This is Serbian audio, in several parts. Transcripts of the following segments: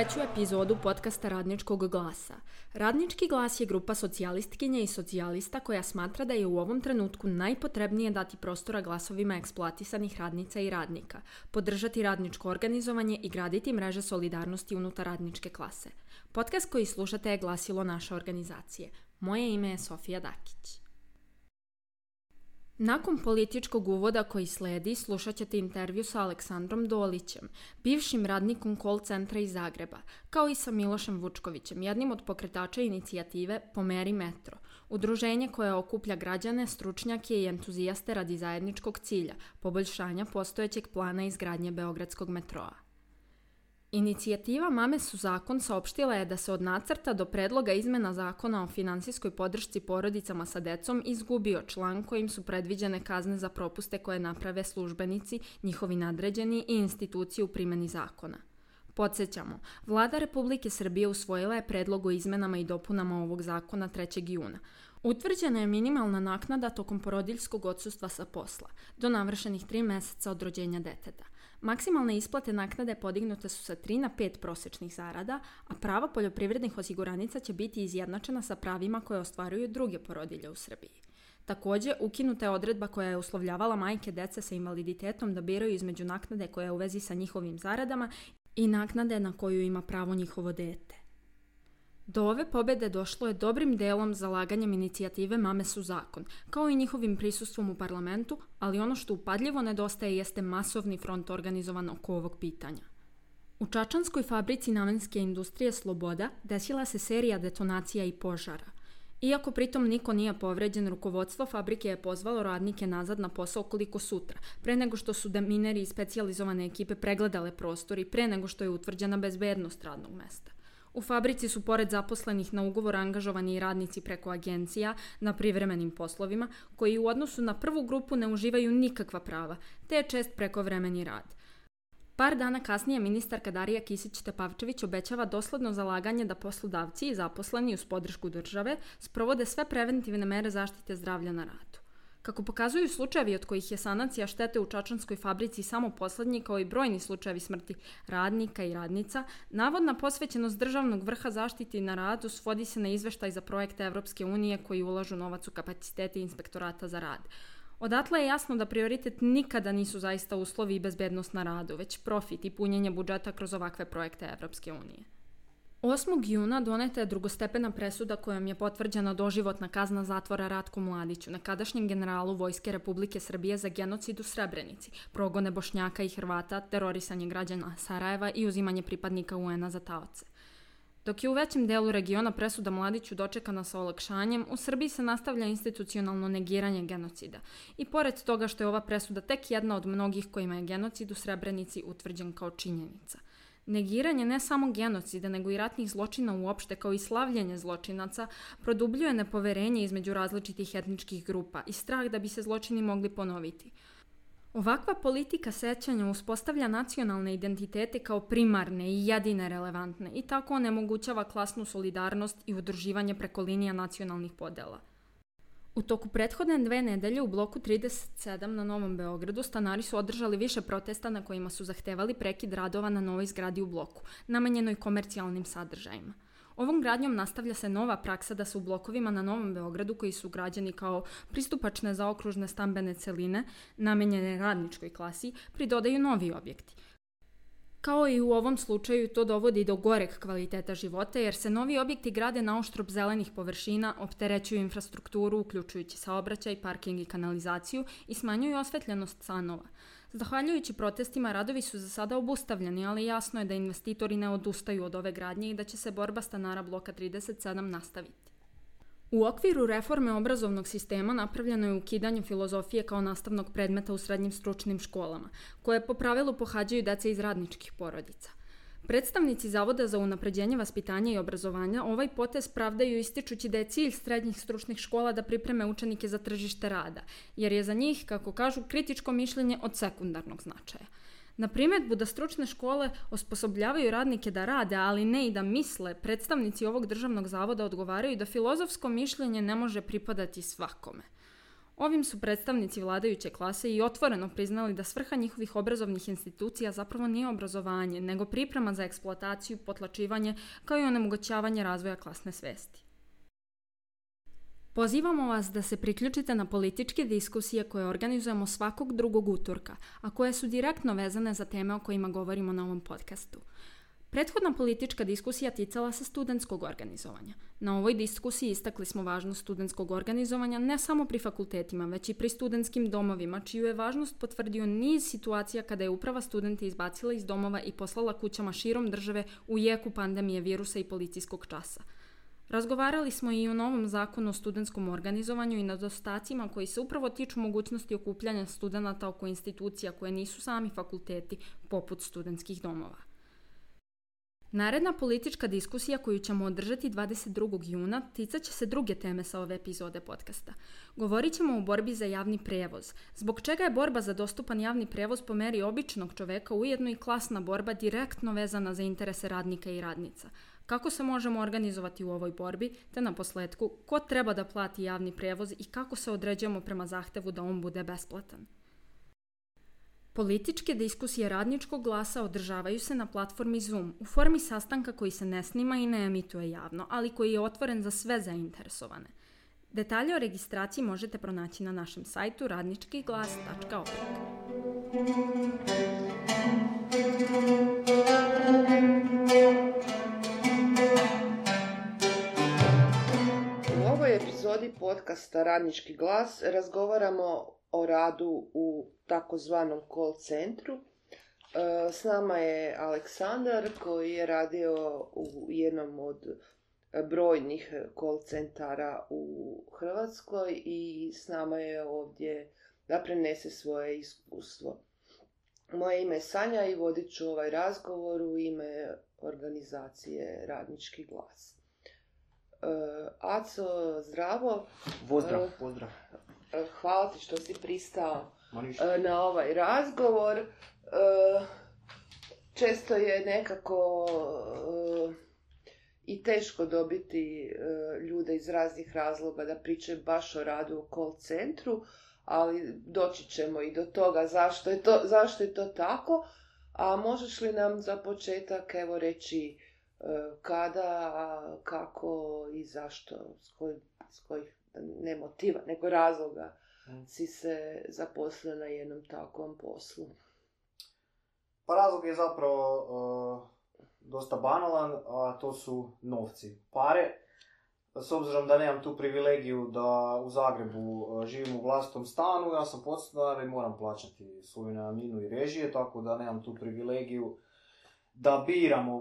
treću epizodu podcasta Radničkog glasa. Radnički glas je grupa socijalistkinja i socijalista koja smatra da je u ovom trenutku najpotrebnije dati prostora glasovima eksploatisanih radnica i radnika, podržati radničko organizovanje i graditi mreže solidarnosti unutar radničke klase. Podcast koji slušate je glasilo naše organizacije. Moje ime je Sofija Dakić. Nakon političkog uvoda koji sledi, slušat ćete intervju sa Aleksandrom Dolićem, bivšim radnikom call centra iz Zagreba, kao i sa Milošem Vučkovićem, jednim od pokretača inicijative Pomeri metro, udruženje koje okuplja građane, stručnjake i entuzijaste radi zajedničkog cilja, poboljšanja postojećeg plana izgradnje Beogradskog metroa. Inicijativa Mame su zakon saopštila je da se od nacrta do predloga izmena zakona o finansijskoj podršci porodicama sa decom izgubio član kojim su predviđene kazne za propuste koje naprave službenici, njihovi nadređeni i institucije u primjeni zakona. Podsjećamo, Vlada Republike Srbije usvojila je predlog o izmenama i dopunama ovog zakona 3. juna. Utvrđena je minimalna naknada tokom porodiljskog odsustva sa posla, do navršenih 3 mjeseca od rođenja deteta. Maksimalne isplate naknade podignute su sa 3 na 5 prosječnih zarada, a prava poljoprivrednih osiguranica će biti izjednačena sa pravima koje ostvaruju druge porodilje u Srbiji. Također, ukinuta je odredba koja je uslovljavala majke dece sa invaliditetom da biraju između naknade koja je u vezi sa njihovim zaradama i naknade na koju ima pravo njihovo dete. Do ove pobjede došlo je dobrim delom zalaganjem inicijative Mame su zakon, kao i njihovim prisustvom u parlamentu, ali ono što upadljivo nedostaje jeste masovni front organizovan oko ovog pitanja. U čačanskoj fabrici namenske industrije Sloboda desila se serija detonacija i požara. Iako pritom niko nije povređen, rukovodstvo fabrike je pozvalo radnike nazad na posao koliko sutra, pre nego što su demineri i specijalizovane ekipe pregledale prostor i pre nego što je utvrđena bezbednost radnog mesta. U fabrici su pored zaposlenih na ugovor angažovani i radnici preko agencija na privremenim poslovima, koji u odnosu na prvu grupu ne uživaju nikakva prava, te je čest prekovremeni rad. Par dana kasnije ministarka Darija Kisić-Tepavčević obećava dosledno zalaganje da poslodavci i zaposleni uz podršku države sprovode sve preventivne mere zaštite zdravlja na radu. Kako pokazuju slučajevi od kojih je sanacija štete u čačanskoj fabrici samo posljednji, kao i brojni slučajevi smrti radnika i radnica, navodna posvećenost državnog vrha zaštiti na radu svodi se na izveštaj za projekte Evropske unije koji ulažu novac u kapacitete inspektorata za rad. Odatle je jasno da prioritet nikada nisu zaista uslovi i bezbednost na radu, već profit i punjenje budžeta kroz ovakve projekte Evropske unije. 8. juna doneta je drugostepena presuda kojom je potvrđena doživotna kazna zatvora Ratku Mladiću, nekadašnjem generalu Vojske Republike Srbije za genocid u Srebrenici, progone Bošnjaka i Hrvata, terorisanje građana Sarajeva i uzimanje pripadnika UN-a za taoce. Dok je u većem delu regiona presuda Mladiću dočekana sa olakšanjem, u Srbiji se nastavlja institucionalno negiranje genocida. I pored toga što je ova presuda tek jedna od mnogih kojima je genocid u Srebrenici utvrđen kao činjenica. Negiranje ne samo genocida, nego i ratnih zločina uopšte, kao i slavljenje zločinaca, produbljuje nepoverenje između različitih etničkih grupa i strah da bi se zločini mogli ponoviti. Ovakva politika sećanja uspostavlja nacionalne identitete kao primarne i jedine relevantne i tako onemogućava klasnu solidarnost i udruživanje preko linija nacionalnih podela. U toku prethodne 2 nedelje u bloku 37 na Novom Beogradu stanari su održali više protesta na kojima su zahtevali prekid radova na novoj zgradi u bloku, namenjenoj komercijalnim sadržajima. Ovom gradnjom nastavlja se nova praksa da se u blokovima na Novom Beogradu, koji su građeni kao pristupačne zaokružne stambene celine, namenjene radničkoj klasi, pridodaju novi objekti. Kao i u ovom slučaju, to dovodi do goreg kvaliteta života jer se novi objekti grade na oštrb zelenih površina, opterećuju infrastrukturu, uključujući saobraćaj, parking i kanalizaciju i smanjuju osvetljenost stanova. Zahvaljujući protestima, radovi su za sada obustavljeni, ali jasno je da investitori ne odustaju od ove gradnje i da će se borba stanara bloka 37 nastaviti. U okviru reforme obrazovnog sistema napravljeno je ukidanje filozofije kao nastavnog predmeta u srednjim stručnim školama, koje po pravilu pohađaju deca iz radničkih porodica. Predstavnici Zavoda za unapređenje vaspitanja i obrazovanja ovaj potez pravdaju ističući da je cilj srednjih stručnih škola da pripreme učenike za tržište rada, jer je za njih, kako kažu, kritičko mišljenje od sekundarnog značaja. Na primjedbu da stručne škole osposobljavaju radnike da rade, ali ne i da misle, predstavnici ovog državnog zavoda odgovaraju da filozofsko mišljenje ne može pripadati svakome. Ovim su predstavnici vladajuće klase i otvoreno priznali da svrha njihovih obrazovnih institucija zapravo nije obrazovanje, nego priprema za eksploataciju, potlačivanje, kao i onemogućavanje razvoja klasne svesti. Pozivamo vas da se priključite na političke diskusije koje organizujemo svakog drugog utorka, a koje su direktno vezane za teme o kojima govorimo na ovom podcastu. Prethodna politička diskusija ticala se studentskog organizovanja. Na ovoj diskusiji istakli smo važnost studentskog organizovanja ne samo pri fakultetima, već i pri studentskim domovima, čiju je važnost potvrdio niz situacija kada je uprava studente izbacila iz domova i poslala kućama širom države u jeku pandemije virusa i policijskog časa. Razgovarali smo i o novom zakonu o studentskom organizovanju i nedostacima koji se upravo tiču mogućnosti okupljanja studenata oko institucija koje nisu sami fakulteti, poput studentskih domova. Naredna politička diskusija koju ćemo održati 22. juna ticat će se druge teme sa ove epizode podcasta. Govorit ćemo o borbi za javni prevoz. Zbog čega je borba za dostupan javni prevoz po meri običnog čoveka ujedno i klasna borba direktno vezana za interese radnika i radnica. Kako se možemo organizovati u ovoj borbi, te na posljetku ko treba da plati javni prevoz i kako se određujemo prema zahtevu da on bude besplatan. Političke diskusije Radničkog glasa održavaju se na platformi Zoom u formi sastanka koji se ne snima i ne emituje javno, ali koji je otvoren za sve zainteresovane. Detalje o registraciji možete pronaći na našem sajtu radničkiglas.org. U ovoj epizodi podcasta Radnički glas razgovaramo o radu u takozvanom call centru. S nama je Aleksandar koji je radio u jednom od brojnih call centara u Hrvatskoj i s nama je ovdje da prenese svoje iskustvo. Moje ime je Sanja i vodit ću ovaj razgovor u ime organizacije Radnički glas. Aco, zdravo. Pozdrav. Hvala ti što si pristao na ovaj razgovor. Često je nekako i teško dobiti ljude iz raznih razloga da pričaju baš o radu u call centru, ali doći ćemo i do toga zašto je to tako. A možeš li nam za početak reći kada, kako i zašto, s kojih ne motiva, nego razloga si se zaposlio na jednom takvom poslu? Pa razlog je zapravo dosta banalan, a to su novci, pare. S obzirom da nemam tu privilegiju da u Zagrebu živim u vlastitom stanu, ja sam podstanar i moram plaćati svoju najamninu i režije, tako da nemam tu privilegiju da biram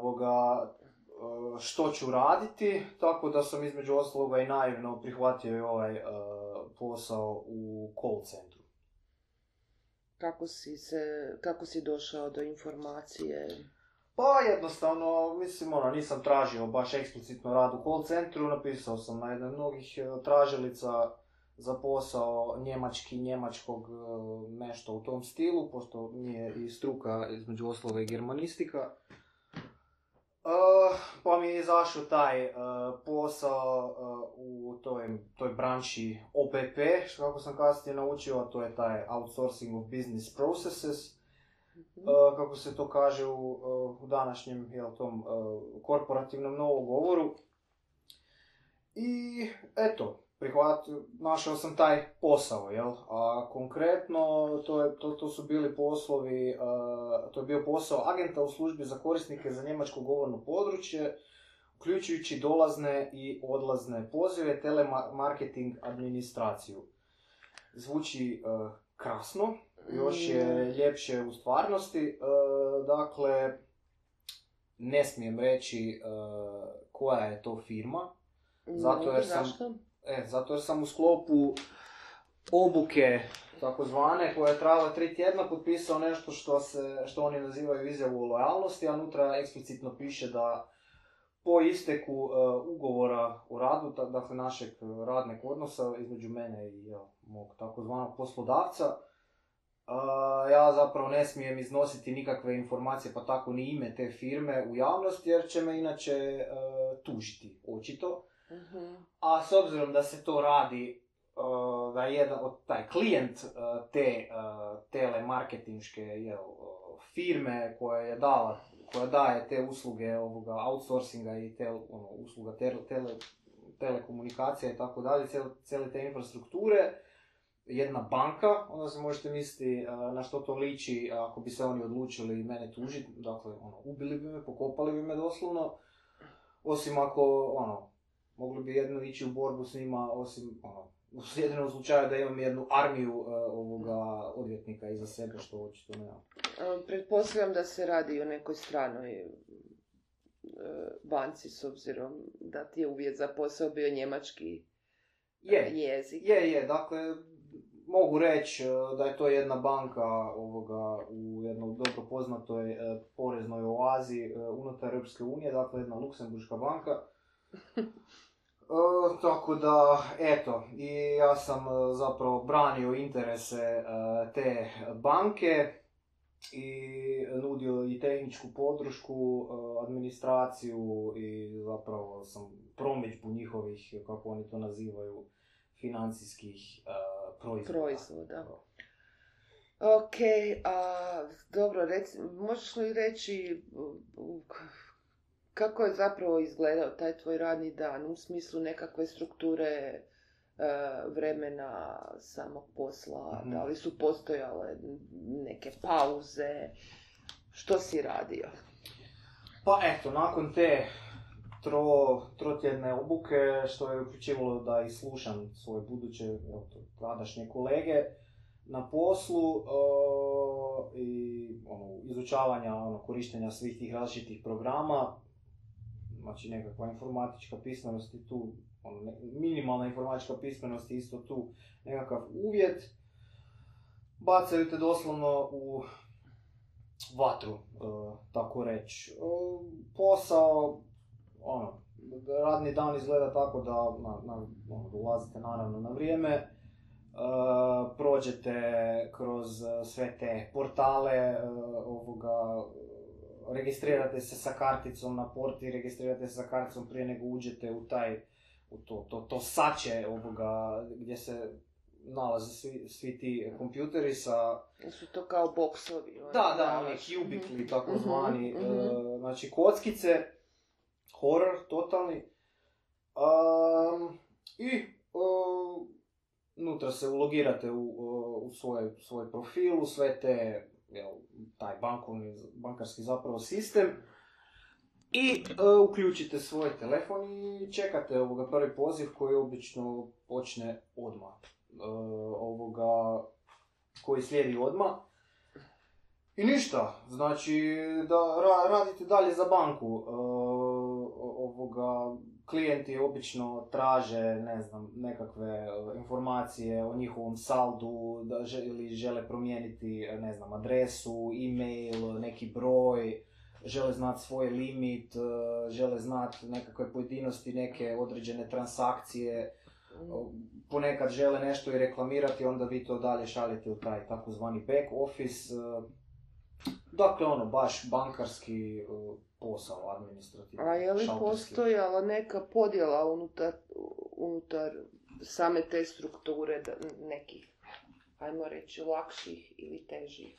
što ću raditi, tako da sam između ostaloga i naivno prihvatio i ovaj posao u call centru. Kako si došao do informacije? Pa jednostavno, nisam tražio baš eksplicitno rad u call centru, napisao sam na jednoj mnogih tražilica za posao njemačkog, nešto u tom stilu, pošto mi je i struka između ostalog i germanistika. Pa mi je izašao taj posao u toj branši OPP, kako sam kasnije naučio, a to je taj Outsourcing of Business Processes, kako se to kaže u današnjem tom korporativnom novogovoru. I eto, našao sam taj posao, a konkretno to su bili poslovi, to je bio posao agenta u službi za korisnike za njemačko govorno područje, uključujući dolazne i odlazne pozive, telemarketing, administraciju. Zvuči krasno, još je ljepše u stvarnosti, dakle, ne smijem reći koja je to firma, zato jer sam u sklopu obuke takozvane koja je trajala 3 tjedna potpisao nešto što oni nazivaju izjavu o lojalnosti, a unutra eksplicitno piše da po isteku ugovora o radu, dakle našeg radnog odnosa između mene i mog takozvanog poslodavca, ja zapravo ne smijem iznositi nikakve informacije, pa tako ni ime te firme u javnost, jer će me inače tužiti, očito. A s obzirom da se to radi da jedan od taj klijent te telemarketinške firme koja daje te usluge outsourcinga i usluga telekomunikacija i tako dalje, cijele te infrastrukture, jedna banka, onda se možete misliti na što to liči ako bi se oni odlučili mene tužiti, dakle, ubili bi me, pokopali bi me doslovno, osim ako, mogli bi jedno ići u borbu s njima, osim, u jedinom slučaju da imam jednu armiju odvjetnika iza sebe, što očito nema. Pretpostavljam da se radi o nekoj stranoj banci, s obzirom da ti je uvjet za posao bio njemački jezik. Je, dakle, mogu reći da je to jedna banka u jednoj dobro poznatoj poreznoj oazi unutar Europske unije, dakle jedna luksemburška banka. Tako da, eto, i ja sam zapravo branio interese te banke i nudio i tehničku podršku, administraciju i zapravo sam promidžbu njihovih, kako oni to nazivaju, financijskih proizvoda. Ok, dobro, možeš li reći kako je zapravo izgledao taj tvoj radni dan u smislu nekakve strukture vremena samog posla, da li su postojale neke pauze, što si radio? Pa eto, nakon te trotjedne obuke, što je uključivalo da i slušam svoje buduće tadašnje kolege na poslu i izučavanja korištenja svih tih različitih programa, znači nekakva informatička pismenost i tu, minimalna informatička pismenost je isto tu nekakav uvjet, bacaju te doslovno u vatru, tako reći. Posao, radni dan izgleda tako da dolazite naravno na vrijeme, prođete kroz sve te portale, registrirate se sa karticom na porti, registrirate se sa karticom prije nego uđete u to sače gdje se nalaze svi ti kompjuteri sa... Su to kao boksovi? Da, oni kubikli, tako zvani, znači kockice, horor, totalni. I unutra se ulogirate u svoj profil, u sve te, taj bankarski zapravo sistem i uključite svoj telefon i čekate prvi poziv koji obično počne odmah. Koji slijedi odmah. I ništa, znači da radite dalje za banku. Klijenti obično traže, nekakve informacije o njihovom saldu, ili žele promijeniti, adresu, e-mail, neki broj, žele znati svoj limit, žele znati nekakve pojedinosti, neke određene transakcije, ponekad žele nešto i reklamirati, onda vi to dalje šaljete u taj takozvani back office. Dakle, baš bankarski posao, administrativni. A je li postojala neka podjela unutar same te strukture nekih, ajmo reći, lakših ili težih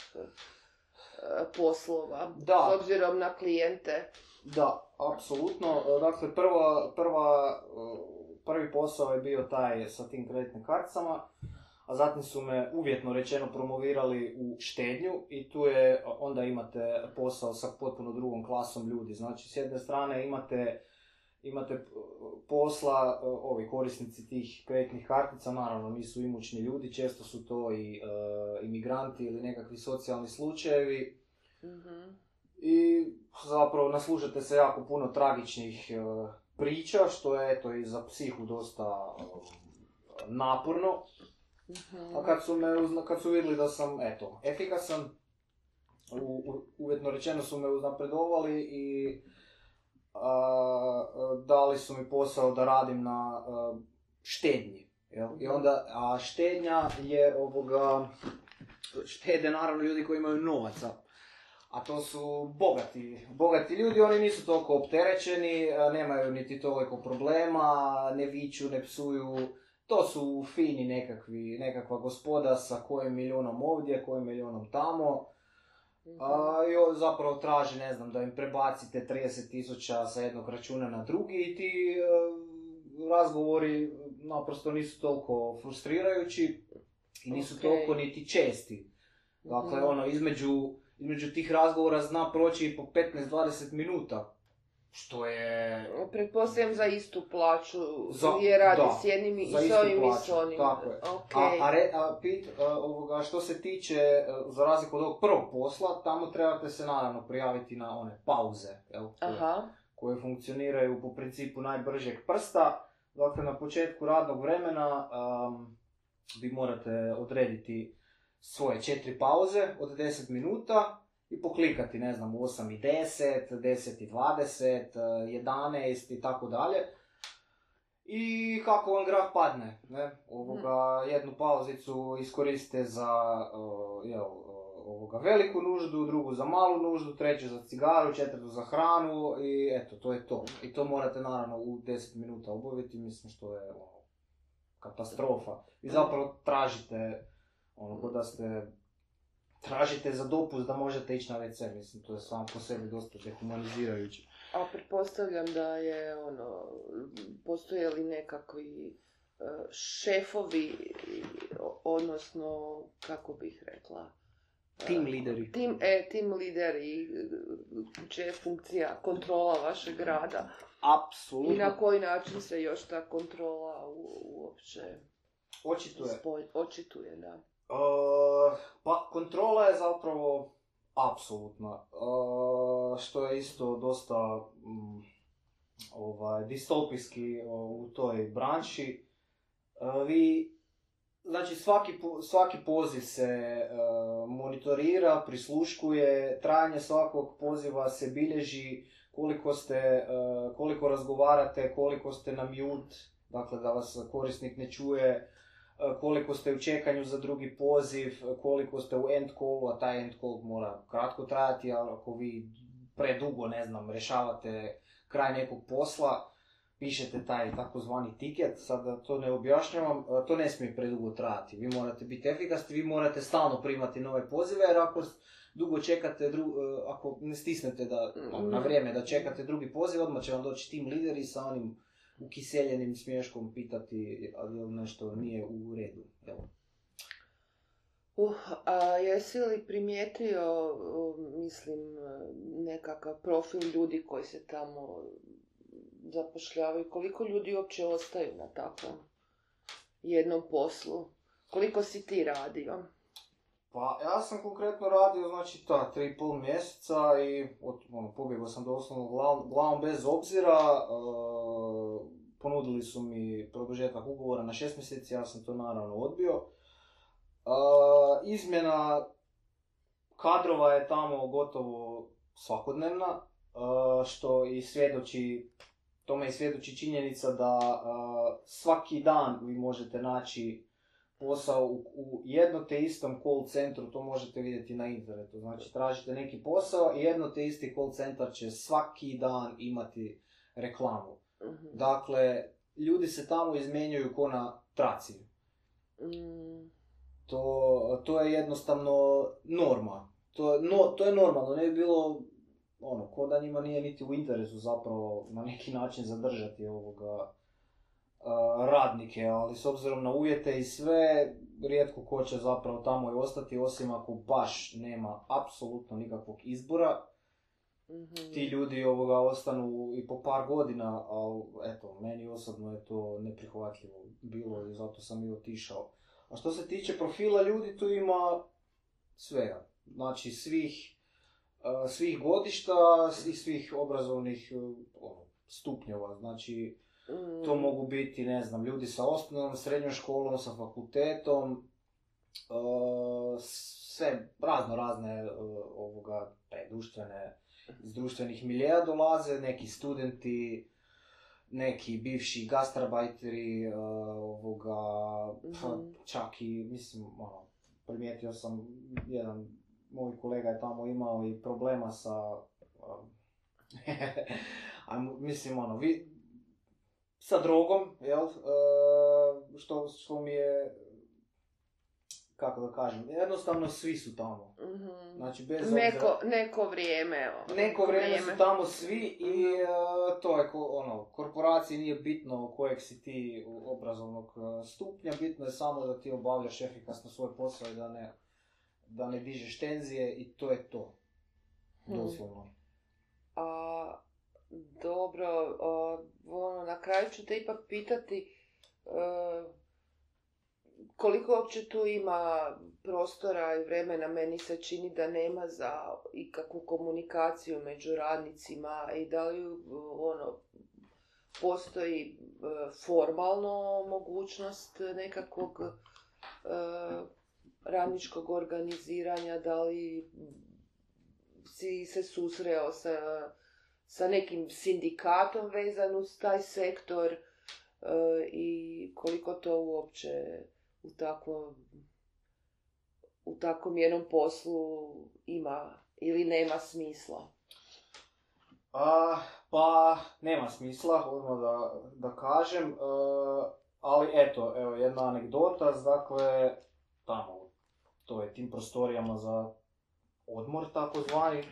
poslova, s obzirom na klijente? Da, apsolutno. Dakle, prvi posao je bio taj sa tim kreditnim karticama, a zatim su me uvjetno rečeno promovirali u štednju i tu onda imate posao sa potpuno drugom klasom ljudi. Znači, s jedne strane imate posla, ovi korisnici tih kreditnih kartica, naravno nisu imućni ljudi, često su to i imigranti ili nekakvi socijalni slučajevi. I zapravo naslušate se jako puno tragičnih priča, što je i za psihu dosta naporno. A kad su vidjeli da sam, efikasan, uvjetno rečeno su me uznapredovali i dali su mi posao da radim na štednji. I onda, a štednja je štede naravno ljudi koji imaju novaca. A to su bogati ljudi, oni nisu toliko opterećeni, nemaju niti toliko problema, ne viču, ne psuju. to su fini nekakva gospoda sa kojim milionom ovdje, kojim milionom tamo. I zapravo traži, ne znam, da im prebacite 30.000 sa jednog računa na drugi i ti razgovori naprosto nisu toliko frustrirajući i nisu toliko niti česti. Dakle, između tih razgovora zna proći i po 15-20 minuta. Što je... Pretpostavljam za istu plaću, je radi s jednim i s ovim i s onim. Tako je. Okay. Što se tiče, za razliku od ovog prvog posla, tamo trebate se naravno prijaviti na one pauze, koje funkcioniraju po principu najbržeg prsta. Dakle, na početku radnog vremena vi morate odrediti svoje 4 pauze od 10 minuta i poklikati, ne znam, u 8:10, 10:20, 11 i tako dalje. I kako vam grah padne, ne? Jednu pauzicu iskoristite za veliku nuždu, drugu za malu nuždu, treću za cigaru, četvrtu za hranu i eto, to je to. I to morate naravno u 10 minuta obaviti, mislim što je katastrofa. Vi zapravo tražite, tražite za dopust da možete ići na WC, mislim, to je samo po sebi dosta dehumanizirajuće. A pretpostavljam da je, postoje li nekakvi šefovi, odnosno, kako bih rekla? Team lideri. Team lideri, čija je funkcija kontrola vašeg rada. Apsolutno. I na koji način se još ta kontrola uopće očituje, da. Pa kontrola je zapravo apsolutna, što je isto dosta distopijski u toj branši. Znači svaki poziv se monitorira, prisluškuje, trajanje svakog poziva se bilježi, koliko razgovarate, koliko ste na mute, dakle da vas korisnik ne čuje, koliko ste u čekanju za drugi poziv, koliko ste u end callu, a taj end call mora kratko trajati, a ako vi predugo, ne znam, rješavate kraj nekog posla, pišete taj takozvani tiket, sad to ne objašnjavam, to ne smije predugo trajati. Vi morate biti efikasni, vi morate stalno primati nove pozive, jer ako dugo čekate, ako ne stisnete na vrijeme da čekate drugi poziv, odmah će vam doći team leader i sa onim ukiseljenim smješkom pitati ali nešto nije u redu. A jesi li primijetio, mislim, nekakav profil ljudi koji se tamo zapošljavaju? Koliko ljudi uopće ostaju na takvom jednom poslu? Koliko si ti radio? Pa ja sam konkretno radio, znači, 3,5 mjeseca i pobjegao sam doslovno glavom bez obzira. Ponudili su mi produžetak ugovora na 6 mjeseci, ja sam to naravno odbio. Izmjena kadrova je tamo gotovo svakodnevna, što i tome i svjedoči činjenica da svaki dan vi možete naći posao u jedno te istom call centru, to možete vidjeti na internetu. Znači, tražite neki posao i jedno te isti call centar će svaki dan imati reklamu. Uh-huh. Dakle, ljudi se tamo izmjenjuju ko na traci. To je jednostavno norma. To je normalno, ne bi bilo ko da njima nije niti u interesu zapravo na neki način zadržati radnike, ali s obzirom na uvjete i sve, rijetko ko će zapravo tamo i ostati, osim ako baš nema apsolutno nikakvog izbora. Mm-hmm. Ti ljudi ostanu i po par godina, ali eto, meni osobno je to neprihvatljivo bilo i zato sam i otišao. A što se tiče profila ljudi, tu ima svega. Znači svih godišta i svih obrazovnih stupnjeva. Znači, to mogu biti, ne znam, ljudi sa osnovnom, srednjom školom, sa fakultetom, sve razne društvene, iz društvenih miljea dolaze, neki studenti, neki bivši gastarbajteri, čak i, mislim, primijetio sam, jedan moj kolega je tamo imao i problema sa, mislim, sa drogom, jel? što mi je, kako da kažem, jednostavno svi su tamo. Mhm. Znači, bez obzira... Neko vrijeme, evo. Neko vrijeme su tamo svi i to je korporaciji nije bitno kojeg si ti obrazovnog stupnja, bitno je samo da ti obavljaš efikasno svoj posao i da ne dižeš tenzije i to je to. Doslovno. Dobro, na kraju ću te ipak pitati koliko uopće tu ima prostora i vremena. Meni se čini da nema za ikakvu komunikaciju među radnicima i da li postoji formalno mogućnost nekakvog radničkog organiziranja, da li si se susreo sa nekim sindikatom vezan uz taj sektor i koliko to uopće u takvom jednom poslu ima ili nema smisla? Pa nema smisla, odmah da kažem, ali evo jedna anegdota, dakle, tamo, to je tim prostorijama za odmor, tako zvani.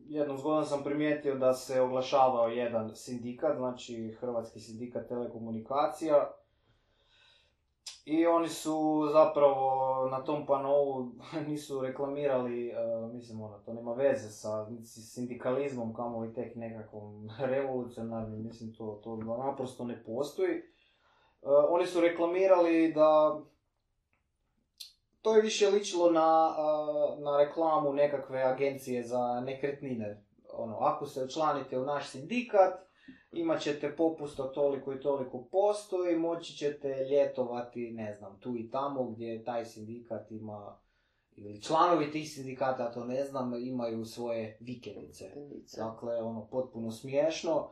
Jednom zgodom sam primijetio da se oglašavao jedan sindikat, znači Hrvatski sindikat telekomunikacija. I oni su zapravo na tom panou nisu reklamirali, to nema veze sa sindikalizmom, kamoli tek nekakvom revolucionarnim, to naprosto ne postoji. Oni su reklamirali da to je više ličilo na reklamu nekakve agencije za nekretnine. Ako se učlanite u naš sindikat, imat ćete popust od toliko i toliko posto i moći ćete ljetovati, ne znam, tu i tamo gdje taj sindikat ima, ili članovi tih sindikata, to ne znam, imaju svoje vikendice. Dakle, potpuno smiješno.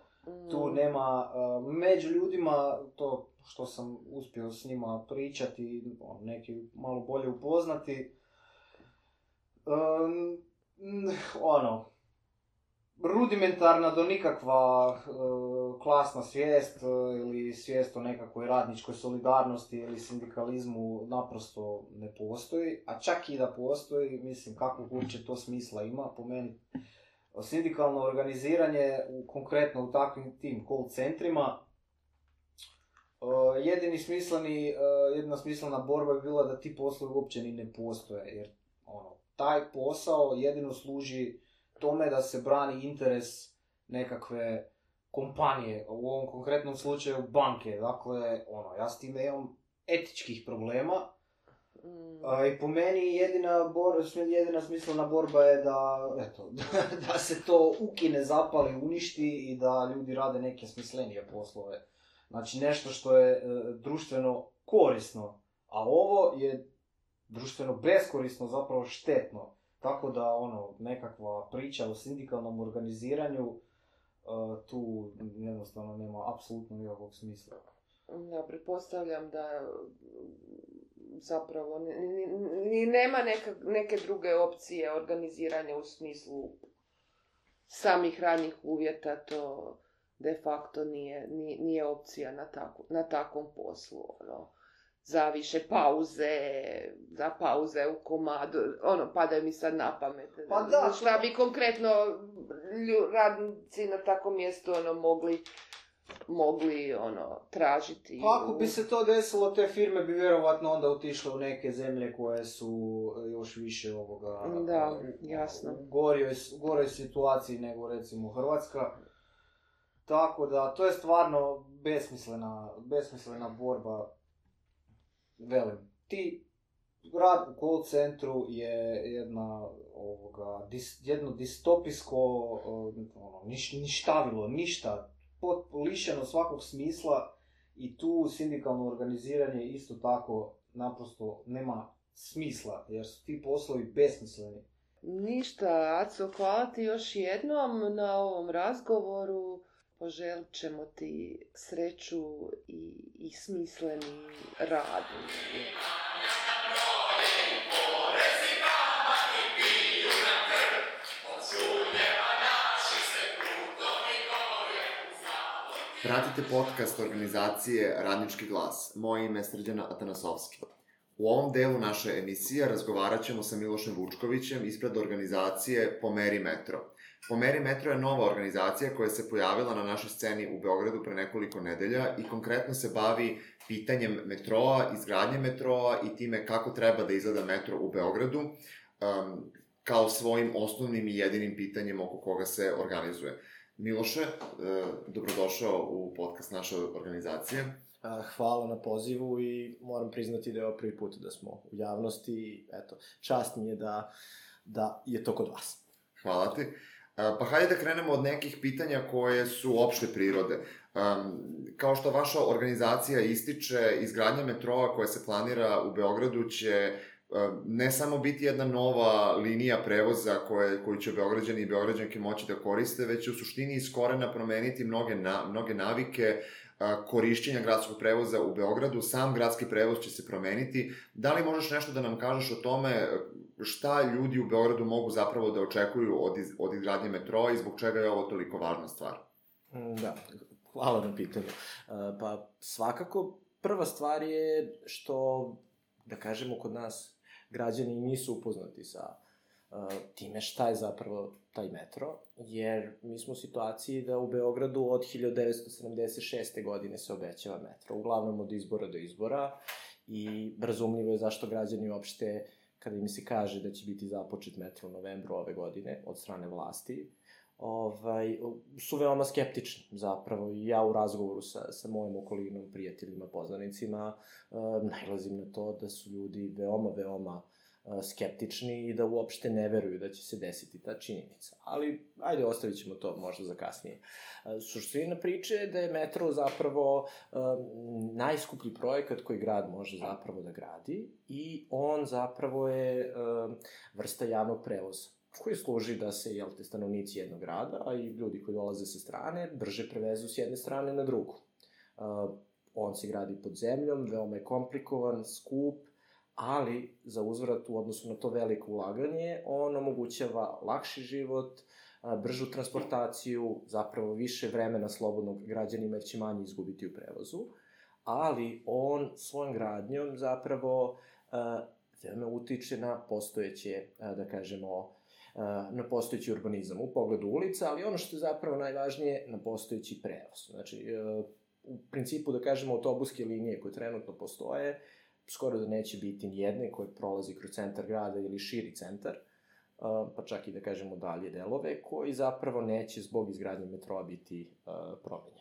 Tu nema, među ljudima, to što sam uspio s njima pričati, neki malo bolje upoznati, rudimentarna do nikakva klasna svijest ili svijest o nekakvoj radničkoj solidarnosti ili sindikalizmu naprosto ne postoji, a čak i da postoji, mislim, kako uopće to smisla ima, po meni. Sindikalno organiziranje, konkretno u takvim tim call centrima, jedina smislena borba je bila da ti poslovi uopće ni ne postoje, jer taj posao jedino služi tome da se brani interes nekakve kompanije, u ovom konkretnom slučaju banke. Dakle, ja s time imam etičkih problema. I po meni jedina smislena borba je da se to ukine, zapali, uništi i da ljudi rade neke smislenije poslove. Znači nešto što je društveno korisno, a ovo je društveno beskorisno, zapravo štetno. Tako da nekakva priča o sindikalnom organiziranju tu jednostavno nema apsolutno nikakvog smisla. Ja pretpostavljam da zapravo ni nema neke druge opcije organiziranja u smislu samih radnih uvjeta, to de facto nije opcija na takvom poslu. Za više za pauze u komadu, padaju mi sad na pamet. Pa da. Šta bi konkretno radnici na takvom mjestu mogli tražiti. Ako bi se to desilo, te firme bi vjerovatno onda otišle u neke zemlje koje su još više Da, jasno. U goroj situaciji nego recimo Hrvatska. Tako da, to je stvarno besmislena borba. Velim, rad u call centru je jedno distopijsko ništavilo, ništa, lišeno svakog smisla i tu sindikalno organiziranje isto tako naprosto nema smisla jer su ti poslovi besmisleni. Ništa, Aco, hvala ti još jednom na ovom razgovoru. Poželit ćemo ti sreću i smisleni rad. pratite podcast organizacije Radnički glas. Moje ime je Srđan Atanasovski. U ovom delu naše emisije razgovarat ćemo sa Milošem Vučkovićem ispred organizacije Pomeri metro. Pomeri metro je nova organizacija koja se pojavila na našoj sceni u Beogradu pre nekoliko nedelja i konkretno se bavi pitanjem metroa, izgradnje metroa i time kako treba da izgleda metro u Beogradu, kao svojim osnovnim i jedinim pitanjem oko koga se organizuje. Miloše, dobrodošao u podcast naše organizacije. Hvala na pozivu i moram priznati da je ovo prvi put da smo u javnosti i eto, čast mi je da je to kod vas. Hvala ti. Pa hajde da krenemo od nekih pitanja koje su opšte prirode. Kao što vaša organizacija ističe, izgradnja metroa koja se planira u Beogradu će ne samo biti jedna nova linija prevoza koju će Beograđani i Beograđanke moći da koriste, već će u suštini iz korena promeniti mnoge navike korišćenja gradskog prevoza u Beogradu. Sam gradski prevoz će se promeniti. Da li možeš nešto da nam kažeš o tome šta ljudi u Beogradu mogu zapravo da očekuju od izgradnje metroa i zbog čega je ovo toliko važna stvar? Da, hvala na pitanju. Pa svakako prva stvar je što, da kažemo, kod nas građani nisu upoznati sa time šta je zapravo taj metro, jer mi smo u situaciji da u Beogradu od 1976. godine se obećava metro, uglavnom od izbora do izbora, i razumljivo je zašto građani uopšte, kada im se kaže da će biti započet metro u novembru ove godine od strane vlasti, su veoma skeptični zapravo. I ja u razgovoru sa mojim okolinom, prijateljima, poznanicima, nailazim na to da su ljudi veoma skeptični i da uopšte ne veruju da će se desiti ta činjenica. Ali, ajde, ostavit ćemo to možda za kasnije. Suština priče je da je metro zapravo najskuplji projekat koji grad može zapravo da gradi i on zapravo je vrsta javnog prevoza koji služi da se, stanovnici jednog grada, a i ljudi koji dolaze sa strane, brže prevezu s jedne strane na drugu. On se gradi pod zemljom, veoma je komplikovan, skup, ali za uzvrat u odnosu na to veliko ulaganje, on omogućava lakši život, bržu transportaciju, zapravo više vremena slobodnog građanima jer će manje izgubiti u prevozu, ali on svojom gradnjom zapravo veoma utiče na postojeće, da kažemo, na postojeći urbanizam u pogledu ulica, ali ono što je zapravo najvažnije, na postojeći prevoz. Znači, u principu, da kažemo, autobuske linije koje trenutno postoje, skoro da neće biti nijedne koje prolazi kroz centar grada ili širi centar, pa čak i da kažemo dalje delove, koji zapravo neće zbog izgradnje metroa biti promenjeni.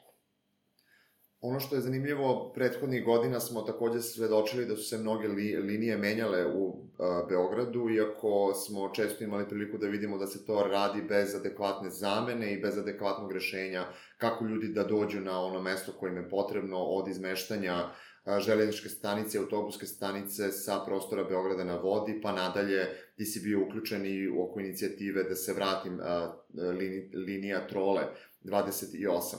Ono što je zanimljivo, prethodnih godina smo takođe svedočili da su se mnoge linije menjale u Beogradu, iako smo često imali priliku da vidimo da se to radi bez adekvatne zamene i bez adekvatnog rešenja kako ljudi da dođu na ono mesto koje im je potrebno od izmeštanja železničke stanice, autobuske stanice sa prostora Beograda na vodi, pa nadalje ti si bio uključen i oko inicijative da se vratim linija Trole 28.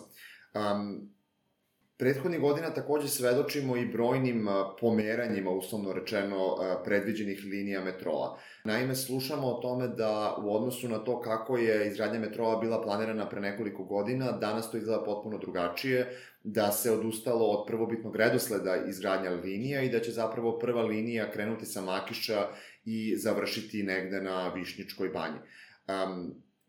Prethodnih godina takođe svedočimo i brojnim pomeranjima, uslovno rečeno, predviđenih linija metroa. Naime, slušamo o tome da u odnosu na to kako je izgradnja metroa bila planirana pre nekoliko godina, danas to izgleda potpuno drugačije, da se odustalo od prvobitnog redosleda izgradnja linija i da će zapravo prva linija krenuti sa Makiša i završiti negde na Višnjičkoj banji.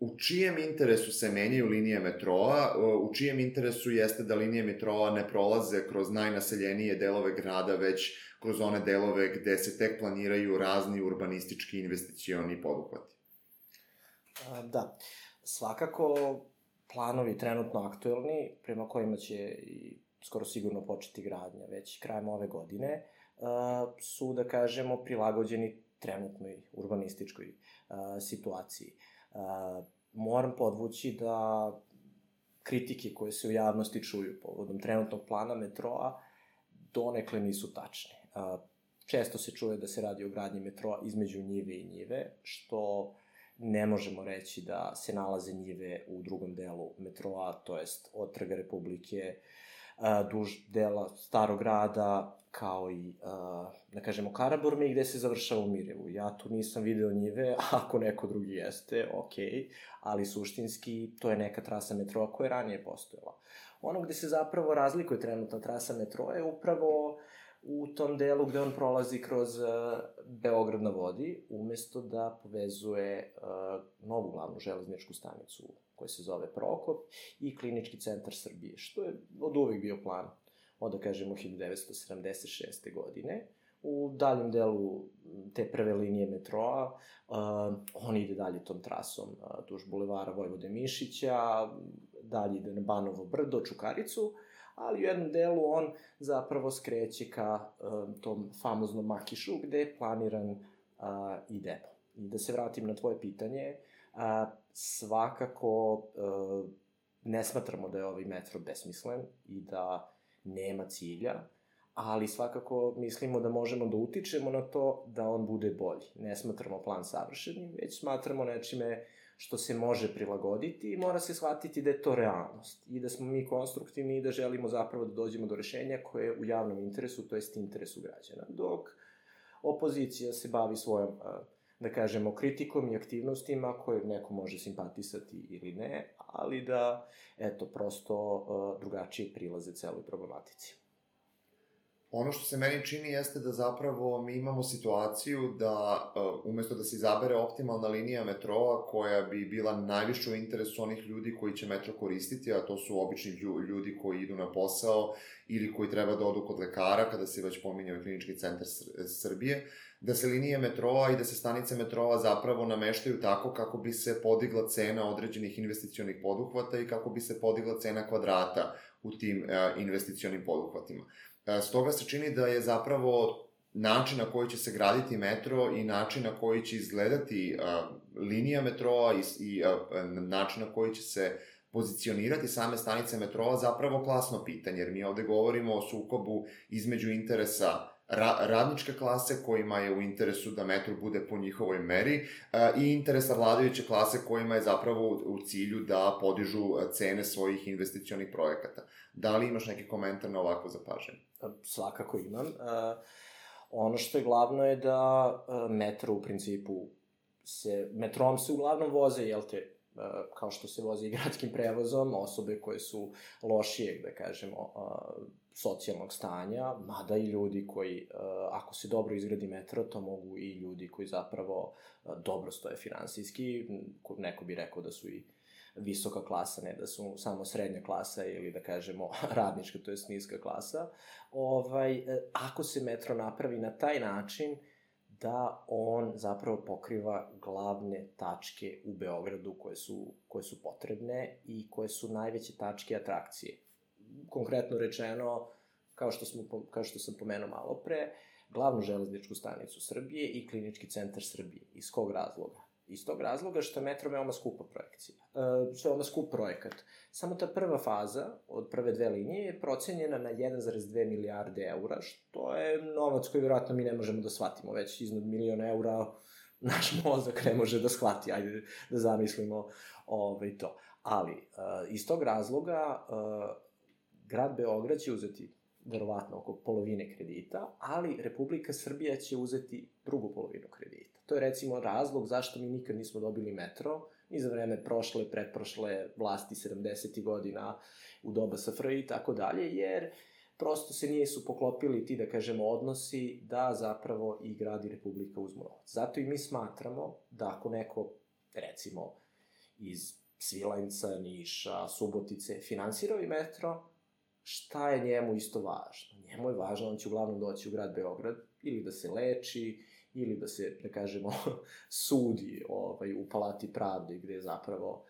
U čijem interesu se menjaju linije metroa, u čijem interesu jeste da linije metroa ne prolaze kroz najnaseljenije delove grada, već kroz one delove gde se tek planiraju razni urbanistički investicioni poduhvati? Da, svakako planovi trenutno aktuelni, prema kojima će i skoro sigurno početi gradnja već krajem ove godine, su, da kažemo, prilagođeni trenutnoj urbanističkoj situaciji. Moram podvući da kritike koje se u javnosti čuju povodom trenutnog plana metroa donekle nisu tačne. Često se čuje da se radi o gradnji metroa između njive i njive, što ne možemo reći da se nalaze njive u drugom delu metroa, to jest od Trga Republike duž dela Starog grada, kao i, da kažemo, Karaburme, gde se završava u Mirijevu. Ja tu nisam video njive, ako neko drugi jeste, okej, ali suštinski to je neka trasa metroa koja je ranije postojala. Ono gde se zapravo razlikuje trenutna trasa metroa je upravo u tom delu gde on prolazi kroz Beograd na vodi, umesto da povezuje novu glavnu železničku stanicu koja se zove Prokop i Klinički centar Srbije, što je od uvek bio plan od, da kažemo, 1976. godine. U daljem delu te prve linije metroa, on ide dalje tom trasom duž bulevara Vojvode Mišića, dalje ide na Banovo brdo, Čukaricu, ali u jednom delu on zapravo skreće ka tom famoznom Makišu, gde je planiran i depo. I da se vratim na tvoje pitanje, svakako ne smatramo da je ovaj metro besmislen i da nema cilja, ali svakako mislimo da možemo da utičemo na to da on bude bolji. Ne smatramo plan savršenim, već smatramo nečime što se može prilagoditi i mora se shvatiti da je to realnost i da smo mi konstruktivni i da želimo zapravo da dođemo do rešenja koje je u javnom interesu, to jest interesu građana. Dok opozicija se bavi svojom, da kažemo, kritikom i aktivnostima koje neko može simpatisati ili ne, ali da, eto, prosto drugačije prilaze celoj problematici. Ono što se meni čini jeste da zapravo mi imamo situaciju da umesto da se izabere optimalna linija metroa koja bi bila najviše u interesu onih ljudi koji će metro koristiti, a to su obični ljudi koji idu na posao ili koji treba da odu kod lekara, kada se već pominjao Klinički centar Srbije, da se linije metroa i da se stanice metroa zapravo nameštaju tako kako bi se podigla cena određenih investicionih poduhvata i kako bi se podigla cena kvadrata u tim investicionim poduhvatima. Stoga se čini da je zapravo način na koji će se graditi metro i način na koji će izgledati linija metroa i način na koji će se pozicionirati same stanice metroa zapravo klasno pitanje, jer mi ovde govorimo o sukobu između interesa radničke klase kojima je u interesu da metro bude po njihovoj meri i interesa vladajuće klase kojima je zapravo u cilju da podižu cene svojih investicionih projekata. Da li imaš neki komentar na ovakvo zapažanje? Svakako imam. Ono što je glavno je da metro u principu metrom se uglavnom voze, jel te, kao što se voze i gradskim prevozom, osobe koje su lošijeg, da kažemo, socijalnog stanja, mada i ljudi koji, ako se dobro izgradi metro, to mogu i ljudi koji zapravo dobro stoje finansijski, neko bi rekao da su i visoka klasa, ne da su samo srednja klasa ili da kažemo radnička, to je niska klasa. Ako se metro napravi na taj način da on zapravo pokriva glavne tačke u Beogradu koje su potrebne i koje su najveće tačke atrakcije. Konkretno rečeno, kao što sam pomenuo malo pre, glavnu železničku stanicu Srbije i Klinički centar Srbije. Iz kog razloga? Iz tog razloga što je metro veoma skupa projekcija. Veoma skup projekat. Samo ta prva faza od prve dve linije je procenjena na 1,2 milijarde eura, što je novac koji vjerojatno mi ne možemo da shvatimo. Već iznad 1.000.000 eura naš mozak ne može da shvati. Ajde da zamislimo to. Ali, iz tog razloga, grad Beograd će uzeti verovatno oko polovine kredita, ali Republika Srbija će uzeti drugu polovinu kredita. To je recimo razlog zašto mi nikad nismo dobili metro, ni za vreme prošle, pretprošle vlasti 70. godina u doba SFRJ i tako dalje, jer prosto se nisu poklopili ti, da kažemo, odnosi da zapravo i grad i Republika uzmu novac. Zato i mi smatramo da ako neko, recimo, iz Svilajnca, Niša, Subotice finansirao i metro, šta je njemu isto važno? Njemu je važno, on će uglavnom doći u grad Beograd ili da se leči, ili da se, da kažemo, sudi u Palati pravde, gde zapravo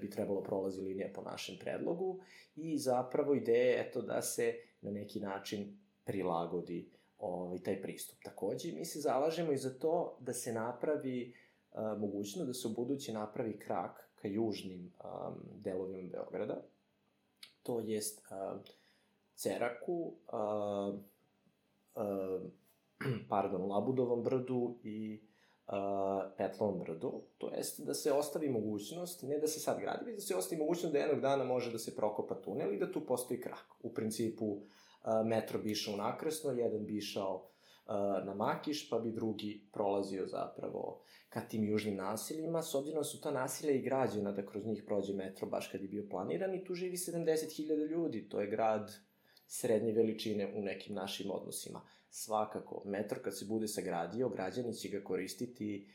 bi trebalo prolazi linija po našem predlogu i zapravo ideja je eto da se na neki način prilagodi taj pristup. Takođe, mi se zalažemo i za to da se napravi mogućnost da se u buduće napravi krak ka južnim delovima Beograda, to jest Ceraku, Labudovom brdu i Petlovom brdu, to jest da se ostavi mogućnost, ne da se sad gradi, već da se ostavi mogućnost da jednog dana može da se prokopa tunel i da tu postoji krak. U principu, metro bi išao nakresno, jedan bi išao na Makiš, pa bi drugi prolazio zapravo ka tim južnim naseljima, s obzirom da su ta naselja i građena da kroz njih prođe metro baš kad je bio planiran i tu živi 70.000 ljudi, to je grad srednje veličine u nekim našim odnosima. Svakako, metro kad se bude sagradio, građani će ga koristiti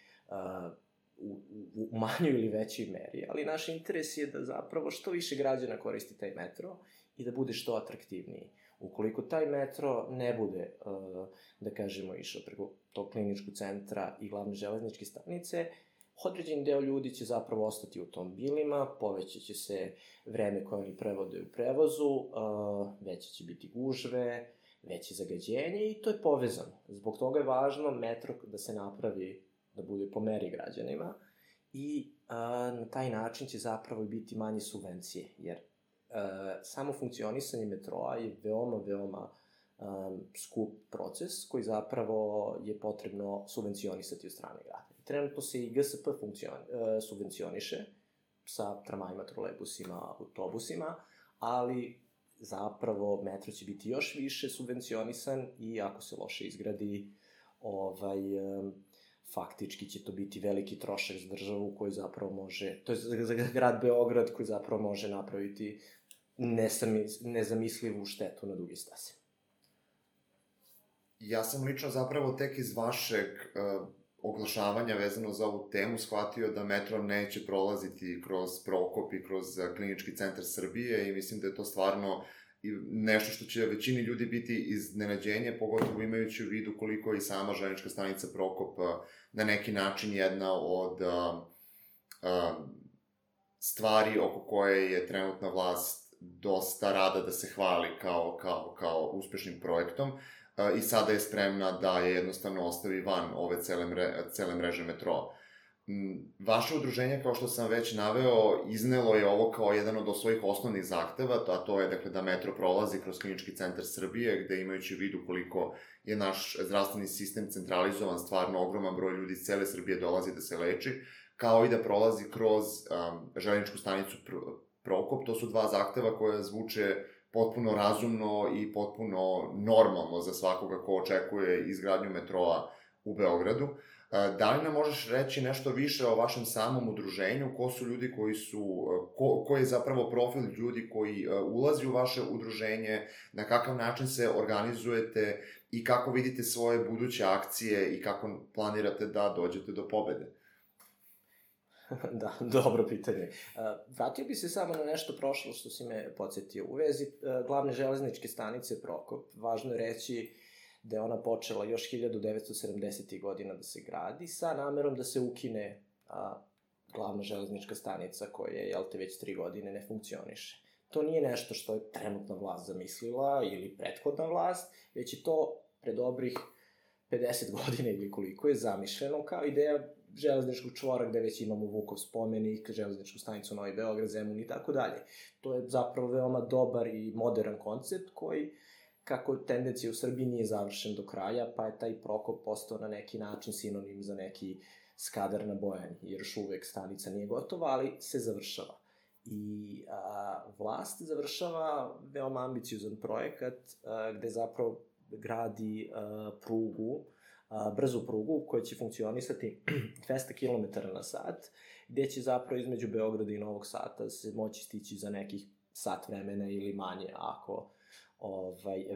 u manjoj ili većoj meri, ali naš interes je da zapravo što više građana koristi taj metro i da bude što atraktivniji. Ukoliko taj metro ne bude, da kažemo, išao preko tog kliničkog centra i glavne železničke stanice, određen deo ljudi će zapravo ostati u automobilima, povećaće se vreme koje oni prevode u prevozu, veće će biti gužve, veće zagađenje i to je povezano. Zbog toga je važno metro da se napravi, da bude po meri građanima i na taj način će zapravo biti manje subvencije, jer samo funkcionisanje metroa je veoma skup proces koji zapravo je potrebno subvencionisati od strane grada. Trenutno se i GSP subvencioniše sa tramvajima, trolejbusima, autobusima, ali zapravo metro će biti još više subvencionisan i ako se loše izgradi, faktički će to biti veliki trošak za državu koji zapravo može, to je za grad Beograd koji zapravo može napraviti nezamislivu štetu na duge staze. Ja sam lično zapravo tek iz vašeg oglašavanja vezano za ovu temu shvatio da metro neće prolaziti kroz Prokop i kroz Klinički centar Srbije i mislim da je to stvarno nešto što će većini ljudi biti iznenađenje, pogotovo imajući u vidu koliko je i sama železnička stanica Prokop na neki način jedna od stvari oko koje je trenutna vlast dosta rada da se hvali kao uspešnim projektom i sada je spremna da je jednostavno ostavi van ove cele mreže metroa. Vaše udruženje, kao što sam već naveo, iznelo je ovo kao jedan od svojih osnovnih zahteva, a to je dakle, da metro prolazi kroz Klinički centar Srbije, gde imajući u vidu koliko je naš zdravstveni sistem centralizovan, stvarno ogroman broj ljudi iz cele Srbije dolazi da se leči, kao i da prolazi kroz železničku stanicu Prokop. To su dva zahteva koja zvuče potpuno razumno i potpuno normalno za svakoga ko očekuje izgradnju metroa u Beogradu. Da li nam možeš reći nešto više o vašem samom udruženju? Ko su ljudi koji je zapravo profil ljudi koji ulazi u vaše udruženje? Na kakav način se organizujete i kako vidite svoje buduće akcije i kako planirate da dođete do pobede? Da, dobro pitanje. Vratio bi se samo na nešto prošlo što si me podsjetio. U vezi glavne železničke stanice Prokop, važno je reći da je ona počela još 1970. godina da se gradi sa namerom da se ukine glavna železnička stanica koja je, već 3 godine ne funkcioniše. To nije nešto što je trenutna vlast zamislila ili prethodna vlast, već je to pre dobrih 50 godina ili koliko je zamišljeno kao ideja železničkog čvora gde već imamo Vukov spomenik, železničku stanicu Novi Beograd, Zemun i tako dalje. To je zapravo veoma dobar i modern koncept koji, kako tendencija u Srbiji nije završen do kraja, pa je taj Prokop postao na neki način sinonim za neki Skadar na Bojani, jer još uvek stanica nije gotova, ali se završava. I vlast završava veoma ambiciozan projekat gde zapravo gradi prugu, brzu prugu koja će funkcionisati 200 km na sat, gde će zapravo između Beograda i Novog Sada se moći stići za nekih sat vremena ili manje, ako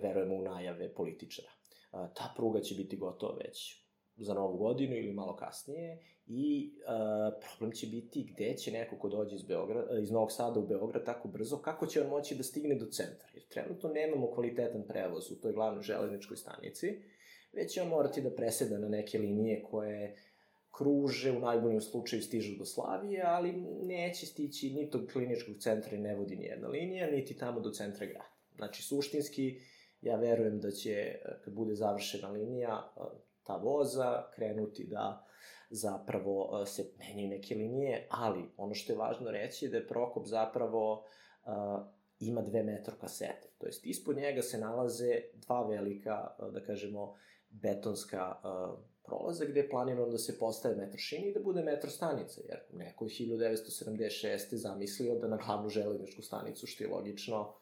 verujemo u najave političara. Ta pruga će biti gotova već za Novu godinu ili malo kasnije i problem će biti gde će neko ko dođe iz Novog Sada u Beograd tako brzo, kako će on moći da stigne do centra, jer trenutno nemamo kvalitetan prevoz u toj glavnoj železničkoj stanici, već će on morati da preseda na neke linije koje kruže, u najboljem slučaju stižu do Slavije, ali neće stići ni do kliničkog centra i ne vodi nijedna linija, niti tamo do centra grada. Znači, suštinski, ja verujem da će, kad bude završena linija, ta voza krenuti da zapravo se menjaju neke linije, ali ono što je važno reći je da je Prokop zapravo ima 2 metro kasete. To jest, ispod njega se nalaze 2 velika, da kažemo, betonska prolaza gde je planirano da se postave metro šine i da bude metro stanica, jer neko je 1976. zamislio da na glavnu železničku stanicu, što je logično,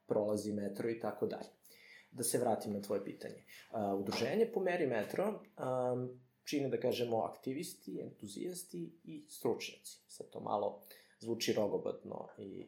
prolazi metro i tako dalje. Da se vratim na tvoje pitanje. Udruženje Pomeri metro čine, da kažemo, aktivisti, entuzijasti i stručnjaci. Sad to malo zvuči rogobatno i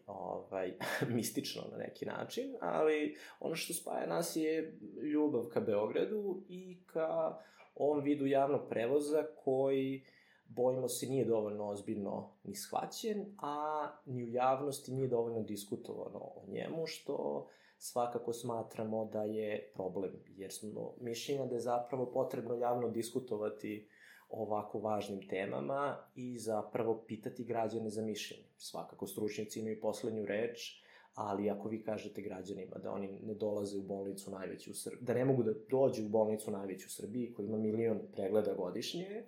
mistično na neki način, ali ono što spaja nas je ljubav ka Beogradu i ka ovom vidu javnog prevoza koji, bojimo se, nije dovoljno ozbiljno ni shvaćen, a ni u javnosti nije dovoljno diskutovano o njemu, što svakako smatramo da je problem, jer smo mišljenja da je zapravo potrebno javno diskutovati o ovako važnim temama i zapravo pitati građane za mišljenje. Svakako stručnjaci imaju poslednju reč, ali ako vi kažete građanima da oni ne dolaze u bolnicu najveću u Srbiji, da ne mogu da dođu u bolnicu najveću u Srbiji, koja ima 1 milion pregleda godišnje,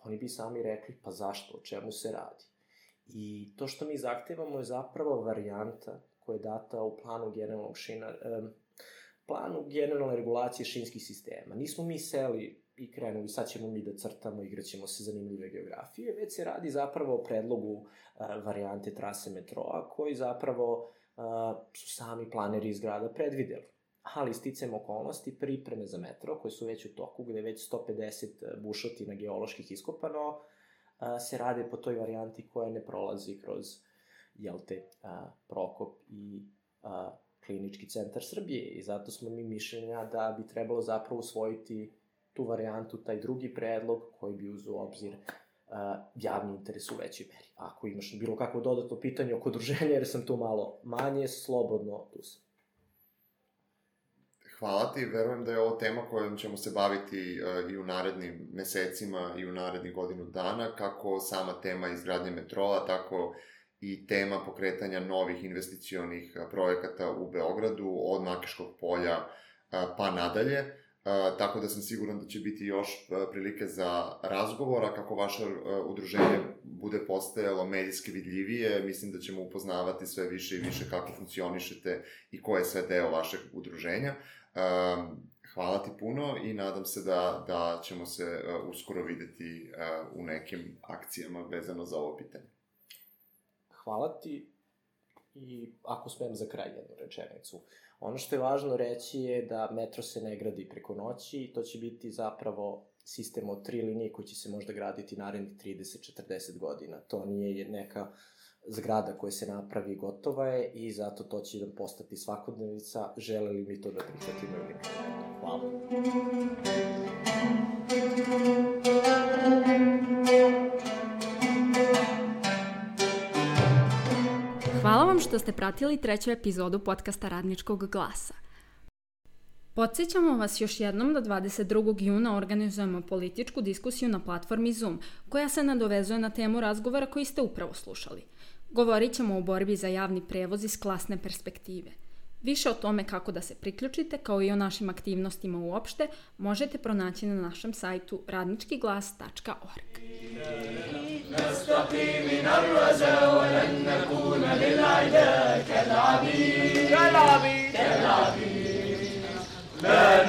oni bi sami rekli, pa zašto, o čemu se radi. I to što mi zahtevamo je zapravo varijanta koja je data u planu generalne regulacije šinskih sistema. Nismo mi seli i krenuli, sad ćemo mi da crtamo, igraćemo se zanimljive geografije, već se radi zapravo o predlogu varijante trase metroa, koji zapravo su sami planeri iz grada predvideli. Ali sticajem okolnosti, pripreme za metro, koje su već u toku, gde je već 150 bušotina geoloških iskopano, se rade po toj varijanti koja ne prolazi kroz Prokop i Klinički centar Srbije. I zato smo mi mišljenja da bi trebalo zapravo usvojiti tu varijantu, taj drugi predlog koji bi uzeo u obzir javni interes u većoj meri. Ako imaš bilo kakvo dodatno pitanje oko udruženja, jer sam tu malo manje, slobodno tu sam. Hvala ti, verujem da je ovo tema kojom ćemo se baviti i u narednim mesecima i u narednih godinu dana, kako sama tema izgradnje metroa, tako i tema pokretanja novih investicionih projekata u Beogradu, od Makiškog polja pa nadalje. Tako da sam siguran da će biti još prilike za razgovora, kako vaše udruženje bude postajalo medijski vidljivije. Mislim da ćemo upoznavati sve više i više kako funkcionišete i ko je sve deo vašeg udruženja. Hvala ti puno i nadam se da ćemo se uskoro videti u nekim akcijama vezano za ovo pitanje. Hvala ti i ako smem za kraj jednu rečenicu. Ono što je važno reći je da metro se ne gradi preko noći i to će biti zapravo sistem od 3 linije koji će se možda graditi narednih 30-40 godina. To nije neka zgrada koja se napravi gotova je i zato to će nam postati svakodnevica, žele li mi to da prihvatimo ili ne. Hvala. Hvala vam što ste pratili 3. epizodu podcasta Radničkog glasa. Podsjećamo vas još jednom da 22. juna organizujemo političku diskusiju na platformi Zoom, koja se nadovezuje na temu razgovora koji ste upravo slušali. Govorit ćemo o borbi za javni prevoz iz klasne perspektive. Više o tome kako da se priključite, kao i o našim aktivnostima uopšte, možete pronaći na našem sajtu radničkiglas.org. نستقي من الرجا ولن نكون للعدا كالعبيد لا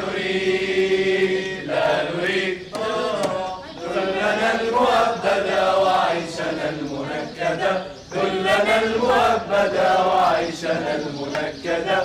نريد ذلنا المؤبدا وعيشنا المنكدا ذلنا المؤبدا وعيشنا المنكدا